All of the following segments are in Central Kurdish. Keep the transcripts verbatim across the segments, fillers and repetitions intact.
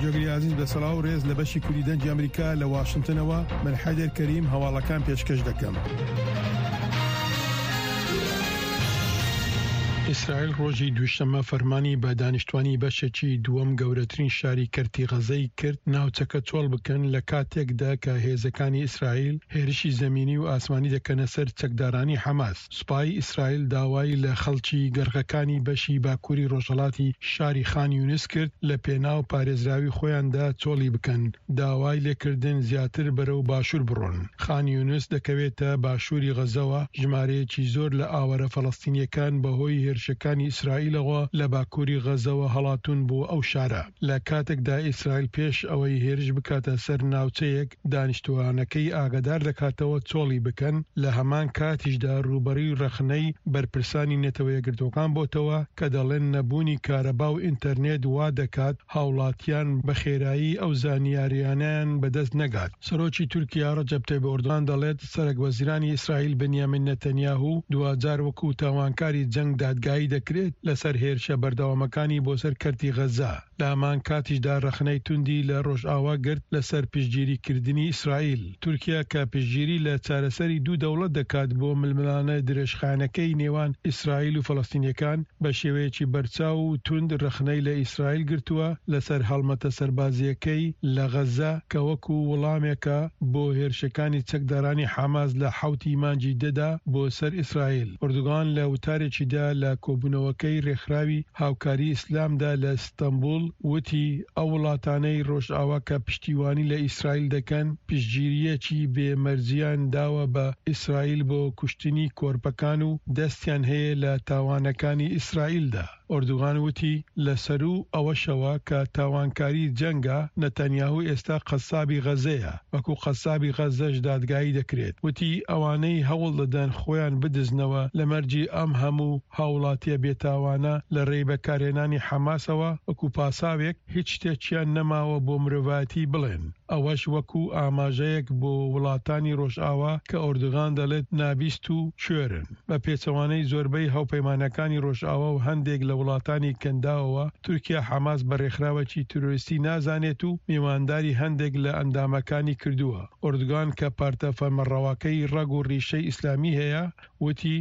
جۆگری ئازیز بە سڵاو ڕێز لە بەشی کوردی دەنگی ئەمریکا لە واشنتنەوە، من حەیدەر کەریم هەواڵەکان پێشکەش دەکەم. ئیسرائیل ڕۆژی دووشەممە فەرمانی بە دانیشتوانی بەشێکی دووەم گەورەترین شاری کەرتی غەزەی کرد ناوچەکە چۆڵ بکەن، لە کاتێکدا کە هێزەکانی ئیسرائیل هێرشی زەمینی و ئاسمانی دەکەنە سەر چەکدارانی حەماس. سوپای ئیسرائیل داوای لە خەڵکی گەڕەکەکانی بەشی باکووری ڕۆژهەڵاتی شاری خان یونس کرد لە پێناو پارێزراوی خۆیاندا چۆڵی بکەن، داوای لێکردن زیاتر بەرەو باشوور بڕۆن. خان یونس دەکەوێتە باشووری غەزەوە، ژمارەیەکی زۆر لە ئاوارە فەلەستینیەکان بەهۆی هێرشەکانی ئیسرائیلەوە لە باکووری غەزەوە هەڵاتون بۆ ئەو شارە. لە کاتێکدا ئیسرائیل پێش ئەوەی هێرش بکاتە سەر ناوچەیەک دانیشتوانەکەی ئاگادار دەکاتەوە چۆڵی بکەن، لە هەمان کاتیشدا ڕووبەڕووی ڕەخنەی بەرپرسانی نەتەوە یەکگرتووەکان بۆتەوە کە دەڵێن نەبوونی کارەبا و ئینتەرنێت وا دەکات هاوڵاتیان بە خێرایی ئەو زانیاریانیان بەدەست نەگات. سەرۆکی تورکیا ڕەجەب تەیب ئەردۆغان دەڵێت سەرەک وەزیرانی ئیسرائیل بنیامین نەتەنیاهو دواجار وەکو تاوانکاری جەنگ دادگایی دەکرێت لەسەر هێرشە بەردەوامەکانی بۆ سەر کەرتی غەزە. لە هەمان کاتیشدا ڕەخنەی توندی لە ڕۆژئاوا گرت لەسەر پشتگیریکردنی ئیسرائیل. تورکیا کە پشتگیری لە چارەسەری دوو دەوڵەت دەکات بۆ ململانێ درێژخایەنەکەی نێوان ئیسرائیل و فەلەستینیەکان، بە شێوەیەکی بەرچاو و توند ڕەخنەی لە ئیسرائیل گرتووە لەسەر هەڵمەتە سەربازیەکەی لە غەزە کە وەکو وەڵامێکە بۆ هێرشەکانی چەکدارانی حەماس لە حەوتی مانگی دەدا بۆ سەر ئیسرائیل. ئەردۆغان لە وتارێکیدا لە کۆبوونەوەکەی ڕێکخراوی هاوکاری ئیسلامدا لە ئیستەنبوڵ وتی ئەو وڵاتانەی ڕۆژئاوا کە پشتیوانی لە ئیسرائیل دەکەن پشتگیریەکی بێمەرجیان داوە بە ئیسرائیل بۆ کوشتنی کۆرپەکان و دەستیان هەیە لە تاوانەکانی ئیسرائیلدا. ئەردۆغان وتی لەسەرو ئەوەشەوە کە تاوانکاری جەنگە، نەتەنیاهو ئێستا قەسابی غەزەیە، وەکو قەسابی غەزەش دادگایی دەکرێت. وتی ئەوانەی هەوڵ دەدەن خۆیان بدزنەوە لە مەرگی ئەم هەموو هاوڵاتیە بێتاوانە لە ڕێی بەکارهێنانی حەماسەوە وەکو پاساوێک هیچ شتێکیان نەماوە بۆ مرۆڤایەتی بڵێن. ئەوەش وەکو ئاماژەیەک بۆ وڵاتانی ڕۆژئاوا کە ئەردۆغان دەڵێت نابیست و کوێرن. بە پێچەوانەی زۆربەی هاوپەیمانەکانی ڕۆژئاوا و هەندێک لە وڵاتانی کەنداوەوە، تورکیا حەماس بە ڕێکخراوێکی تیرۆریستی نازانێت و میوانداری هەندێک لە ئەندامەکانی کردووە. ئەردۆغان کە پارتە فەرمانڕەواکەی ڕەگ و ڕیشەی ئیسلامی هەیە وتی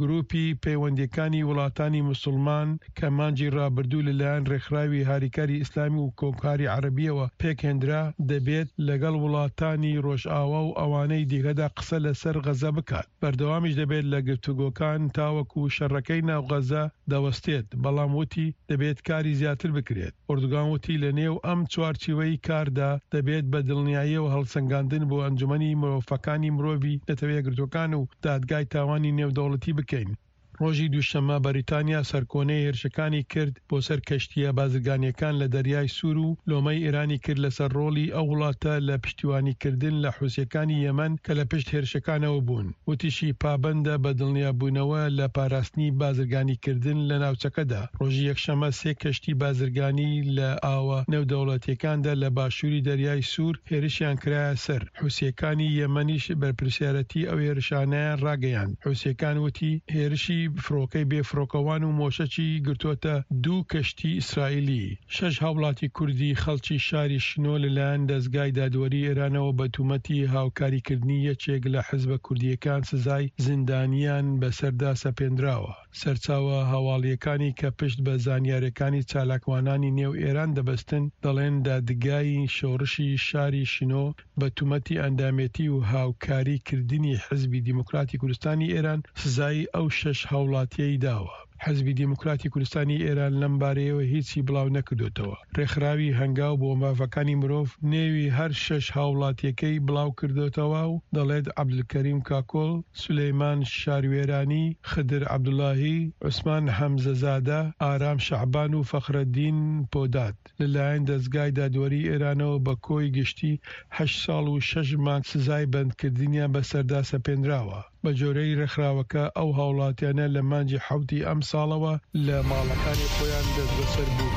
گروپی پەیوەندیەکانی وڵاتانی موسڵمان کە مانگی ڕابردوو لەلایەن ڕێکخراوی هاریکاری ئیسلامی و کۆمکاری عەرەبیەوە پێکهێنرا دەبێت لەگەڵ وڵاتانی ڕۆژئاوا و ئەوانەی دیکەدا قسە لەسەر غەزە بکات. بەردەوامیش دەبێت لە گفتوگۆکان تاوەکو شەڕەکەی ناو غەزە دەوەستێت، بەڵام وتی دەبێت کاری زیاتر بکرێت. ئەردۆغان وتی لە نێو ئەم چوارچێوەی کاردا دەبێت بە دڵنیاییەوە هەڵسەنگاندن بۆ ئەنجومەنی مافەکانی مرۆڤی نەتەوە یەکگرتووەکان و دادگای تاوانی نێودەوڵەتی بکەین. ڕۆژی دووشەممە بەریتانیا سەرکۆنەی هێرشەکانی کرد بۆ سەر کەشتیە بازرگانیەکان لە دەریای سوور و لۆمەی ئێرانی کرد لەسەر ڕۆڵی ئەو وڵاتە لە پشتیوانیکردن لە حوسیەکانی یەمەن کە لە پشت هێرشەکانەوە بوون. وتیشی پابەندە بە دڵنیابوونەوە لە پاراستنی بازرگانیکردن لە ناوچەکەدا. ڕۆژی یەکشەممە سێ کەشتی بازرگانی لە ئاوە نێودەوڵەتیەکاندا لە باشووری دەریای سوور هێرشیان کرایە سەر. حوسیەکانی یەمەنیش بەرپرسیارەتی ئەو هێرشانەیان ڕاگەیاند. حوسیەکان وتی هێرشی فڕۆکەی بێفڕۆکەوان و مۆشەکی گرتووەتە دوو کەشتی ئیسرائیلی. شەش هاوڵاتی کوردی خەڵکی شاری شنۆ لەلایەن دەزگای دادوەری ئێرانەوە بە تومەتی هاوکاریکردنی یەکێک لە حزبە کوردیەکان سزای زیندانیان بەسەردا سەپێنراوە. سەرچاوە هەواڵیەکانی کە پشت بە زانیاریەکانی چالاکوانانی نێو ئێران دەبەستن دەڵێن دادگای شۆڕشی شاری شنۆ بە تومەتی ئەندامێتی و هاوکاریکردنی حزبی دیموکراتی کوردستانی ئێران سزای ئەو شەش هاوڵاتیەی داوە. حزبی دیموکراتی کوردستانی ئێران لەم بارەیەوە هیچی بڵاو نەکردوتەوە. ڕێکخراوی هەنگاو بۆ مافەکانی مرۆڤ نێوی هەر شەش هاوڵاتیەکەی بڵاو کردوتەوە و دەڵێت عەبدولکەریم کاکۆڵ، سولەیمان شاروێرانی، خدر عەبدوڵاهی، عوسمان حەمزەزادە، ئارام شەعبان و فەخرەدین پۆدات لەلایەن دەزگای دادوەری ئێرانەوە بە کۆی گشتی هەشت ساڵ و شەش مانگ سزای بەندکردنیان بەسەردا سەپێنراوە. بە جۆرەی ڕێکخراوەکە ئەو هاوڵاتیانە لە مانگی حەوتی ئەم ساڵەوە لە ماڵەکانی خۆیان دەستبەسەر بوون.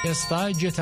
ئێستا گوێتان